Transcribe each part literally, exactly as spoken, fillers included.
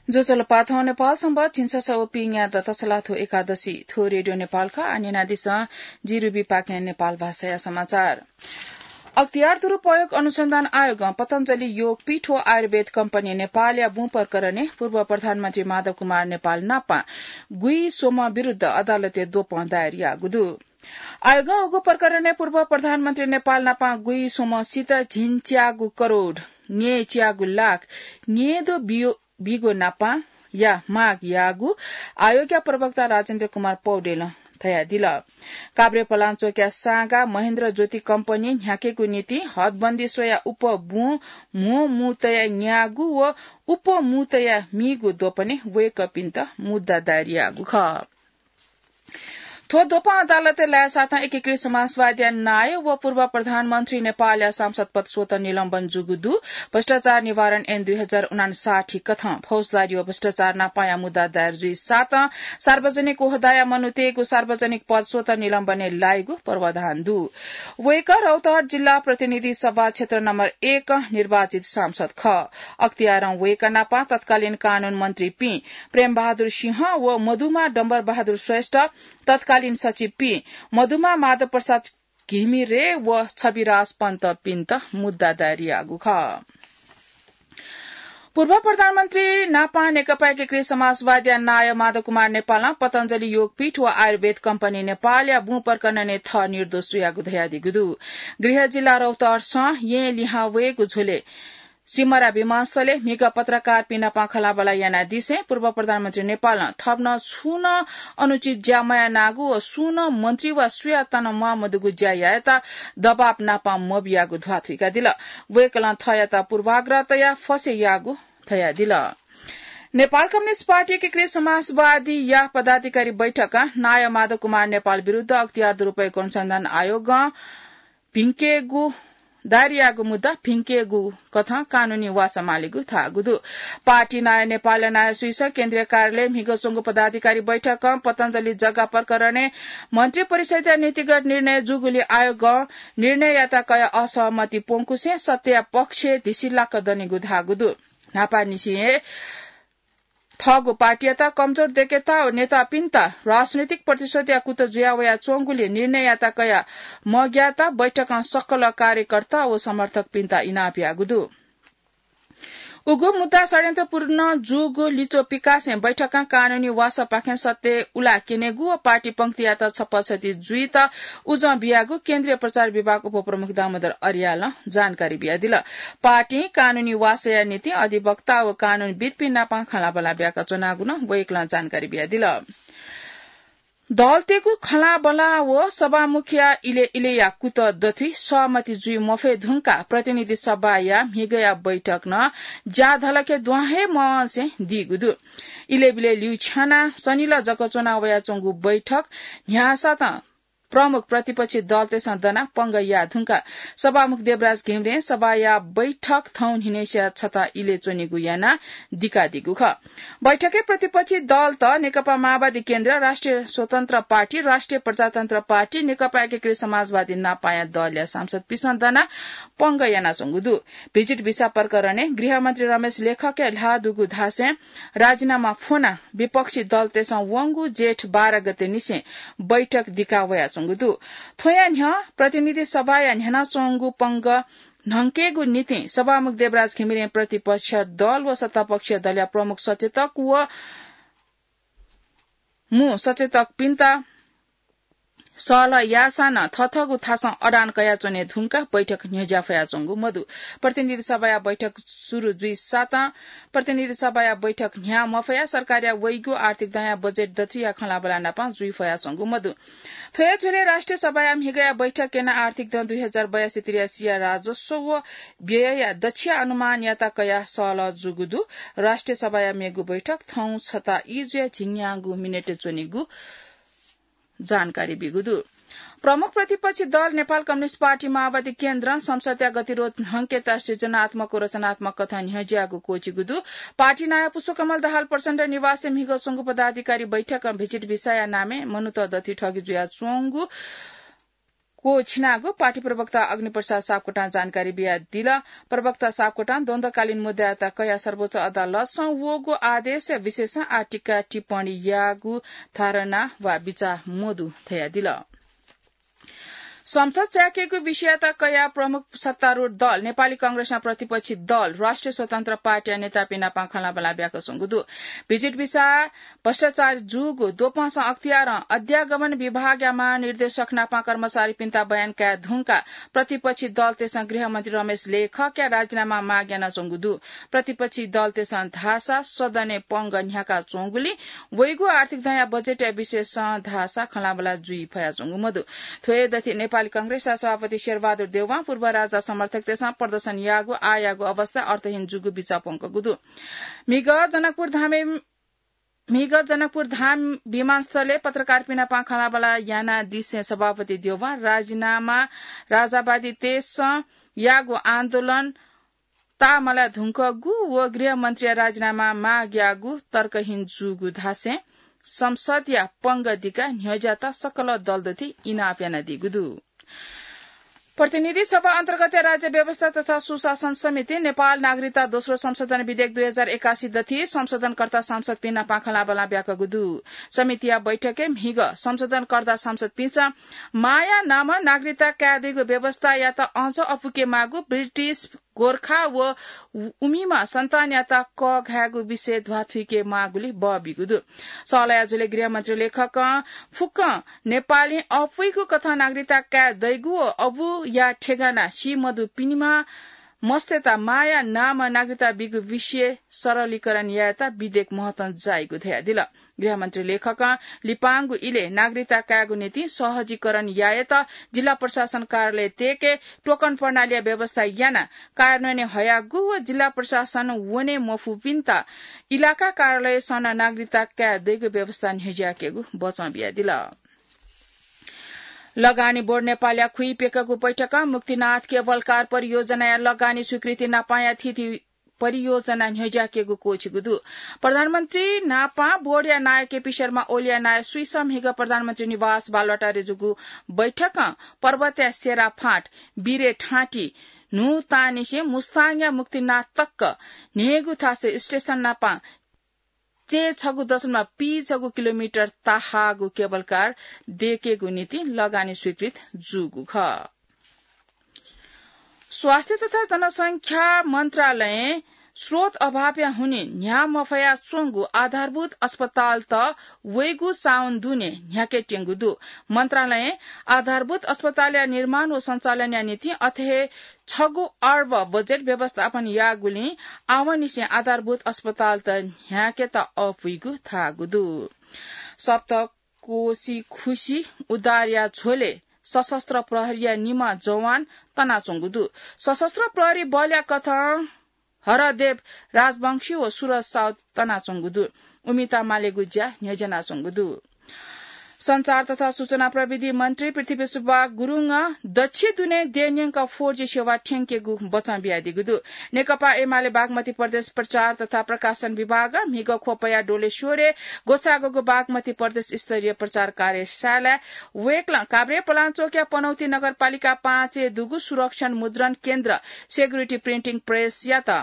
ज्वजलपा, थौं नेपाल संवत् झिंछसः व पीन्यादँ तसलाथ्व एकादशी। थ्व रेडियो नेपाल खः। आः न्यनादिसँ जिरुबी पाखें नेपाल भाषाया समाचार। अख्तियार दुरुपयोग अनुसन्धान आयोगं पतञ्जलि योगपीठ व आयुर्वेद कम्पनी नेपालया बुँ प्रकरणय् पूर्व प्रधानमन्त्री माधव कुमार नेपाल नापं गुइस्वम्ह विरुद्ध अदालतय् द्वपं दायर याःगु दु। आयोगं उगु प्रकरणय् पूर्व प्रधानमन्त्री नेपाल नापं गुइस्वम्हसित झिंच्यागू करोड न्यय्च्यागू लाख न्यय्दँ बियो बीगु नापं या माग याःगु आयोगया प्रवक्ता राजेन्द्र कुमार पौडेलं धयादिल। काभ्रेपलाञ्चोकया सागा महेन्द्र ज्योति कम्पनी न्ह्याकेगु निंतिं हदबन्दी स्वयाः उपबुँ म्हो मू तयाः न्याःगु व उपमू तयाः मीगु द्वपनय् वय्कःपिन्त मुद्दा दायर याःगु खः। थ्व द्वपं अदालतय् लायेसाथं एकीकृत समाजवादीया नायः व पूर्व प्रधानमन्त्री नेपालया सांसद पद स्वतः निलम्बन जूगु दु। भ्रष्टाचार निवारण ऐन दुई हजार उनान्साठी कथं फौजदारी व भ्रष्टाचार नापंया मुद्दा दायर जुइसाथं सार्वजनिक ओहदाया मनूतय्गु सार्वजनिक पद स्वतः निलम्बनय् लाइगु प्रावधान दु। वय्कः रौतहट जिल्ला प्रतिनिधि सभा क्षेत्र नम्बर एक निर्वाचित सांसद खः। अख्तियारं वय्कः नापं तत्कालीन कानून मन्त्रीपिं प्रेमबहादुर सिंह व मदुमा डम्बरबहादुर श्रेष्ठ, तत्कालीन सचिवपिं मदुमा माधव प्रसाद घिमिरे व छविराज पन्तपिन्त मुद्दा दायर याःगु खः। पूर्व प्रधानमन्त्री नापं नेकपा एकीकृत समाजवादीया नायः माधव कुमार नेपालं पतञ्जलि योगपीठ व आयुर्वेद कम्पनी नेपालया बुँ प्रकरणय् थः निर्दोष जुयागु धयादीगु दु। गृह जिल्ला रौतहटसं येँ लिहां वयेगु झ्वलय् सिमरा विमानस्थलय् म्हिगः पत्रकारपिं नाप खँल्हाबल्हा यानादिसें पूर्व प्रधानमन्त्री नेपालं थप नं छुं नं अनुचित ज्या मयानागु व सुं नं मन्त्री वा सुयातं नं म्वाःमदुगु ज्या यायेत दबाब नाप मबियागु ध्वाथुइकादिल। वय्कलं थःयात पूर्वाग्रह तयाः फसे याःगु धयादिल। नेपाल कम्युनिस्ट पार्टी एकीकृत समाजवादीया पदाधिकारी बैठकं नायः माधव कुमार नेपाल विरुद्ध अख्तियार दुरुपयोग अनुसन्धान आयोगं भिंकेगु दायर याःगु मुद्दा भिंकेगु कथं कानूनी वासः मालीगु धाःगु दु। पार्टी नायः नेपालया नायः सुइसं केन्द्रीय कार्यालय म्हिगः च्वंगु पदाधिकारी बैठकं पतञ्जलि जग्गा प्रकरणय् मन्त्री परिषद्या नीतिगत निर्णय जूगुलिं आयोगं निर्णययात कयाः असहमति प्वंकुसें सत्यया पक्षय् धिसिलाक दनिगु धाःगु दु। न्हापांनिसें हे थःगु पार्टीयात कमजोर देकेत व नेतापिन्त राजनैतिक प्रतिशोधया कुतः जुया वयाच्वंगुलिं निर्णययात कयाः मग्यात बैठकं सकल कार्यकर्ता व समर्थकपिन्त इनाप याःगु दु। उगु मुद्दा षड्यन्त्रपूर्ण जूगु लिच्वः पिकासें बैठकं कानूनी वासःपाखें सत्य उला क्यनेगु व पार्टी पंक्तियात छप्पा क्षति जुइत उजं बियागु केन्द्रीय प्रचार विभाग उपप्रमुख दामोदर अर्यालं जानकारी बियादिल। पार्टीं कानूनी वासःया निंतिं अधिवक्ता व कानूनविद्पिं नाप खँल्हाबल्हा ब्याकाच्वनागु नं वय्कलं जानकारी बियादिल। दलतय्गु खँल्हाबल्हा व सभामुखया इलय् इलय्या कुतः दथुइ सहमति जुइ मफये धुंकाः प्रतिनिधि सभाया म्हिगःया बैठक नं ज्याधलखे दुहां हे मवंसे दीगु दु। इलय्बिलय् ल्यूछ्यानाः सनिलः जक च्वना वयाच्वंगु बैठक न्ह्याःसातं प्रमुख प्रतिपक्षी दलतय्सं दनाः पंगः याः धुंकाः सभामुख देवराज घिमिरें सभाया बैठक थौं न्हिनय्सिया छता इलय् च्वनेगु यानाः दिकादीगु खः। बैठकय् प्रतिपक्षी दलत नेकपा माओवादी केन्द्र, राष्ट्रिय स्वतन्त्र पार्टी, राष्ट्रिय प्रजातन्त्र पार्टी, नेकपा एकीकृत समाजवादी नापाया दलया सांसदपिन्सं दनाः पंगः यानाच्वंगु दु। भिजिट भिसा प्रकरणय् गृहमन्त्री रमेश लेखकया ल्हाः दुगु धासें राजीनामा फ्वनाः विपक्षी दलतय्सं वंगु जेठ बाह्र गतेनिसें बैठक दिका वयाच्वंगु दु। थ्वया न्ह्यः प्रतिनिधि सभाया न्ह्यानाच्वंगु पंगः न्हंकेगु निंतिं सभामुख देवराज घिमिरें प्रतिपक्ष दल व सत्तापक्ष दलया प्रमुख सचेतक व मू सचेतकपिन्त सहलह याःसां नं थःथःगु थासं अडान कयाच्वने धुंकाः बैठक न्ह्यज्या फयाच्वंगु मदु। प्रतिनिधि सभाया बैठक सुरु जुइसातं प्रतिनिधि सभाया बैठक न्ह्याः मफयाः सरकारया वइगु आर्थिक दँया बजेट दथुइया खँल्हाबल्हा नाप जुइ फयाच्वंगु मदु। थ्वया झ्वलय् राष्ट्रिय सभाया म्हिगःया बैठक यानाः आर्थिक दँ दुई हजार बयासी त्रियासीया राजस्व व व्ययया दच्छिया अनुमानयात कयाः सहलह जूगु दु। राष्ट्रिय सभाया मेगु बैठक थौं छता ई जुयाः झिंन्यागू मिनेट च्वनीगु जानकारी बीगु दु। प्रमुख प्रतिपक्षी दल नेपाल कम्युनिस्ट पार्टी माओवादी केन्द्रं संसदया गतिरोध न्हंकेत सृजनात्मक व रचनात्मक कथं न्ह्यज्याःगु क्वचिगु दु। पार्टी नायः पुष्पकमल दाहाल प्रचण्ड निवासय् म्हिगः च्वंगु पदाधिकारी बैठकं भिजिट भिसाया नामय् मनूत दथुइ ठगी जुयाच्वंगु क्वःछिनागु पार्टी प्रवक्ता अग्निप्रसाद सापकोटां जानकारी बियादिल। प्रवक्ता सापकोटां द्वन्द्वकालीन मुद्दायात कयाः सर्वोच्च अदालतसं वःगु आदेशया विषयसं आः टीका टिप्पणी याःगु धारणा वा बिचाः मदु धयादिल। संसद च्याकेगु विषययात कयाः प्रमुख सत्तारूढ दल नेपाली कांग्रेसं प्रतिपक्षी दल राष्ट्रिय स्वतन्त्र पार्टीया नेतापिं नाप खँल्हाबल्हा ब्याकच्वंगु दु। भिजिट भिसा, भ्रष्टाचार जूगु द्वपंसं अख्तियारं अध्यागमन विभागया महानिर्देशक नाप कर्मचारीपिन्त बयान काये धुंकाः प्रतिपक्षी दलतय्सं गृहमन्त्री रमेश लेखकया राजीनामा माग यानाच्वंगु दु। प्रतिपक्षी दलतय्सं धाःसा सदनय् पंगः न्ह्याकाच्वंगुलिं वइगु आर्थिक दँया बजेटया विषयसं धाःसा खँल्हाबल्हा जुइ फयाच्वंगु मदु। थ्व हे दथि नेपाली कांग्रेसया सभापति शेरबहादुर देउवां पूर्व राजा समर्थकतय्सं प्रदर्शन याःगु आःयाःगु अवस्था अर्थहीन जूगु बिचाः प्वंकूगु दु। म्हिगः जनकपुर धामय् म्हिगः जनकपुर धाम विमानस्थलय् पत्रकारपिं नाप खँल्हाबल्हा यानादिसें सभापति देउवां राजीनामा राजावादीतय्सं याःगु आन्दोलन ताःमलाः धुंकूगु व गृहमन्त्रीया राजीनामा माग याःगु तर्कहीन जूगु धासें संसदया पंगः दिकाः न्ह्यज्यात सकल दलदथि इनाप यानादीगु दु। प्रतिनिधि सभा अन्तर्गतया राज्य व्यवस्था तथा सुशासन समितिं नेपाल नागरिकता दोस्रो संशोधन विधेयक दुई हजार एकासी दथि संशोधनकर्ता सांसदपिं नाप खँल्हाबल्हा ब्याकूगु दु। समितिया बैठकय् म्हिगः संशोधनकर्ता सांसदपिन्सं मांया नामं नागरिकता काये दइगु व्यवस्थायात अझ अपुके माःगु, ब्रिटिश, गोर्खा व उमिम्ह सन्तानयात कःघायेगु विषय ध्वाथुइके माःगुलिं बः बीगु दु। सहलया झ्वलय् गृहमन्त्री लेखकं फुक्कं नेपालीं अपुइगु कथं नागरिकता काये दइगु व अबुया ठेगाना सी मदुपिनिम्ह मस्तय्त मांया नामं नागरिकता बीगु विषय सरलीकरण यायेत विधेयक महत्वं जाइगु धयादिल। गृहमन्त्री लेखकं लिपांगु इलय् नागरिकता कायेगु निंतिं सहजीकरण यायेत जिल्ला प्रशासन कार्यालय तेके टोकन प्रणालीया व्यवस्था यानाः कार्यान्वयनय् हयागु व जिल्ला प्रशासन वने मफुपिन्त इलाका कार्यालयसं नं नागरिकता काये दइगु व्यवस्था न्ह्यज्याकेगु बचं बियादिल। लगानी बोर्ड नेपालया खुइप्यंकूगु बैठकं मुक्तिनाथ केबल कार परियोजनाया लगानी स्वीकृति नापंया थीथी परियोजना न्ह्यज्याकेगु क्वःछिगु दु। प्रधानमन्त्री नापं बोर्डया नायः केपी शर्मा ओलीया नायः स्वीसं म्हिगः प्रधानमन्त्री निवास बालुवाटारय् जूगु बैठकं पर्वतया सेरा फाँट, बिरे ठाँटी, न्हू तांनिसें मुस्ताङया मुक्तिनाथ तक न्हय्गू थासय् स्टेसन नापं चय्छगू दशमलव पीछगू किलोमिटर ताहाःगु केबल कार दयेकेगु निंतिं लगानी स्वीकृत जूगु खः। स्वास्थ्य तथा जनसंख्या मन्त्रालयं स्रोत अभावया हुनिं न्ह्याः मफयाच्वंगु आधारभूत अस्पतालत वइगु साउन दुने न्ह्याकेत्यंगु दु। मन्त्रालयं आधारभूत अस्पतालया निर्माण व सञ्चालनया निंतिं अथे हे छगू अर्ब बजेट व्यवस्थापन याःगुलिं आवंनिसें आधारभूत अस्पतालत न्ह्याकेत अःपुइगु धाःगु दु। सप्तकोशी खुसी उद्धारया झ्वलय् सशस्त्र प्रहरीया निम्ह जवान तनाच्वंगु दु। सशस्त्र प्रहरी बलया कथं हरदेव राजवंशी व सुरज साउद तनाच्वंगु दु। उमित मालेगु ज्या न्ह्यज्यानाच्वंगु दु। सञ्चार तथा सूचना प्रविधि मन्त्री पृथ्वीसुब्बा गुरुङं दच्छि दुने देय् न्यंक four G सेवा थ्यंकेगु बचं बियादीगु दु। नेकपा एमाले बागमती प्रदेश प्रचार तथा प्रकाशन विभागं म्हिगः ख्वपया डोलेश्वरय् ग्वसाःगु बागमती प्रदेश स्तरीय प्रचार कार्यशालाय् वय्कलं काभ्रेपलाञ्चोकया पनौती नगरपालिका पाँचय् दुगु सुरक्षण मुद्रण केन्द्र, security printing press-यात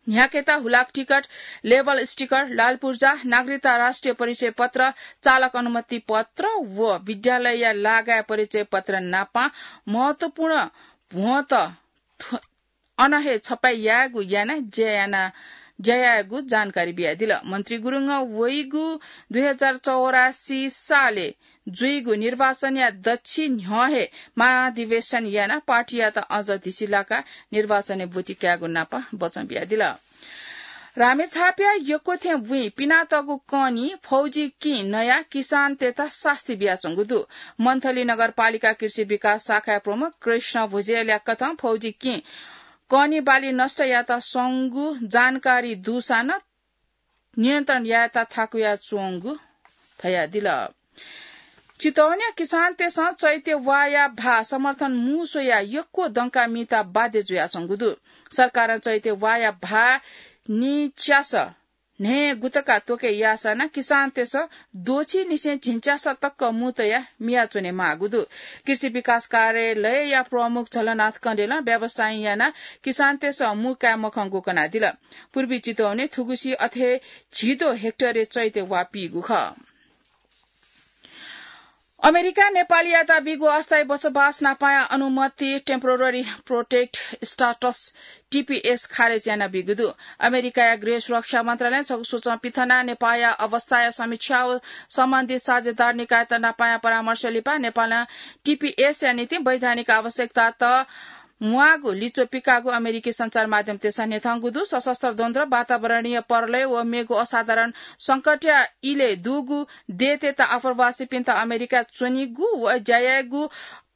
न्ह्याकेत हुलाक टिकट, लेबल स्टिकर, लालपुर्जा, नागरिकता राष्ट्रिय परिचय पत्र, चालक अनुमति पत्र व विद्यालयया लागाय् परिचय पत्र नापं महत्वपूर्ण भ्वंत थ्व-, अन हे छपाई यायेगु यानाः ज्या याना, ज्या यायेगु जानकारी बियादिल। मन्त्री गुरुङं वइगु दुई हजार चौरासी सालय् जुइगु निर्वाचनया दच्छि न्ह्यः हे महाधिवेशन यानाः पार्टीयात अझ धिसिलाकाः निर्वाचनय् ब्वति कायेगु नाप बचं बियादिल। रामेछापया यक्व थें बुँइ पिनातःगु कनी फौजी किं नयाः किसानतय्त सास्ती बियाच्वंगु दु। मन्थली नगरपालिका कृषि विकास शाखाया प्रमुख कृष्ण भुजेलया कथं फौजी किं कनी बाली नष्ट यात स्वंगु जानकारी दुसां नं नियन्त्रण यायेत थाकुयाच्वंगु धयादिल। चितवनया किसानतय्सं चैते वाःया भाः समर्थन मू स्वयाः यक्व दंकाः मीत बाध्य जुयाच्वंगु दु। सरकारं चैते वाःया भाः निच्यास न्हय् गुतका त्वके याःसां नं किसानतय्‌सं द्वःछि निसें झिंच्यासा तक मू तयाः मियाच्वने माःगु दु। कृषि विकास कार्यालयया प्रमुख झलनाथ कँडेलं व्यवसाय यानाः किसानतय्‌सं मू काये मखंगु कनादिल। पूर्वी चितवनय् थुगुसी अथे झिद्वः हेक्टरय् चैत्य वा पीगु खः। अमेरिकां नेपालीयात बीगु अस्थायी बसोबास नापाया अनुमति, temporary protected status, टीपीएस, खारेज यानाबीगु दु। अमेरिकाया गृह सुरक्षा मन्त्रालयं छगू सूचं पिथनाः नेपाःया अवस्थाया समीक्षा व सम्बन्धित साझेदार निकायत नापाया परामर्श लिपा नेपालं टीपीएसया निंतिं वैधानिक आवश्यकतात म्वाःगु लिच्वः पिकाःगु अमेरिकी सञ्चार माध्यमतय्‌सं न्ह्यथंगु दु। सशस्त्र द्वन्द्व, वातावरणीय प्रलय व मेगु असाधारण संकटया इलय् दुगु देय्‌तय्‌त आप्रवासीपिन्त अमेरिका च्वनीगु व ज्या यायेगु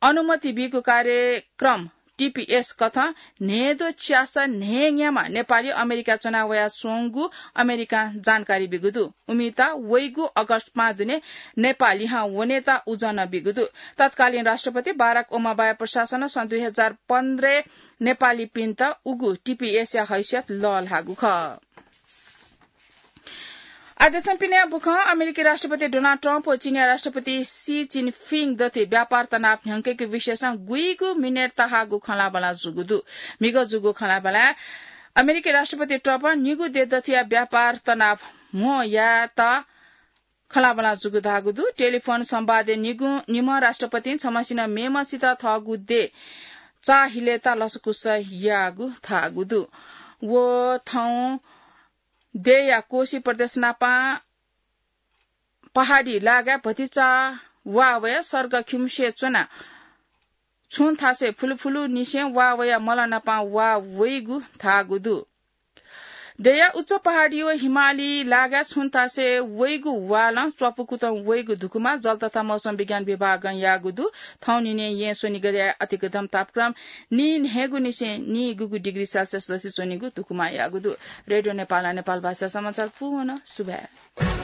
अनुमति बीगु कार्यक्रम टीपीएस कथं न्हय्‌द्वः च्यासा न्हय्‌न्याम्ह नेपाली अमेरिका च्वना वयाच्वंगु अमेरिकां जानकारी बीगु दु। उमित वइगु अगस्त पाँच दुने नेपाः लिहां वनेत उजं नं बीगु दु। तत्कालीन राष्ट्रपति बाराक ओबामाया प्रशासनं सन् दुई हजार पन्ध्रय् नेपालीपिन्त उगु टीपीएसया हैसियत लःल्हाःगु खः। आदेशं पिने बुखं अमेरिकी राष्ट्रपति डोनाल्ड ट्रम्प व चीनया राष्ट्रपति सी जिनपिङ दथुइ व्यापार तनाव न्ह्यंकेगु विषयसं गुइगु मिनेट तःहाःगु खँल्हाबल्हा जूगु दु। म्हिगः जूगु खँल्हाबल्हाय् अमेरिकी राष्ट्रपति ट्रम्पं निगू देश दथुया व्यापार तनाव म्हो यायेत खँल्हाबल्हा जूगु धाःगु दु। टेलिफोन संवादय् निगू, निम्ह राष्ट्रपतिं छम्हसिनं मेम्हसित थःगु देय् चाःहिलेत लसकुस याःगु धाःगु दु। व थौं देय्‌या कोशी प्रदेश नापं पहाडी लागाय् भतिचा वा वयाः सर्ग खिउँसे च्वनाः छुं थासय् फुलुफुलुनिसें वा वयाः मल नापं वा वइगु धाःगु दु। देय्‌या उच्च पहाडी व हिमाली लागाय् छुं थासय् वइगु वालं च्वापुकुतं वइगु धुकुमा जल तथा मौसम विज्ञान विभागं याःगु दु। थौंनिने येँ स्वनिगःया अतिकथं तापक्रम नीन्हय्‌गुनिसें नीगुगु डिग्री सेल्सियस दथुइ च्वनीगु धुकुमा याःगु दु। रेडियो नेपालं नेपाल भाषा समाचार पूवन सुभाय्।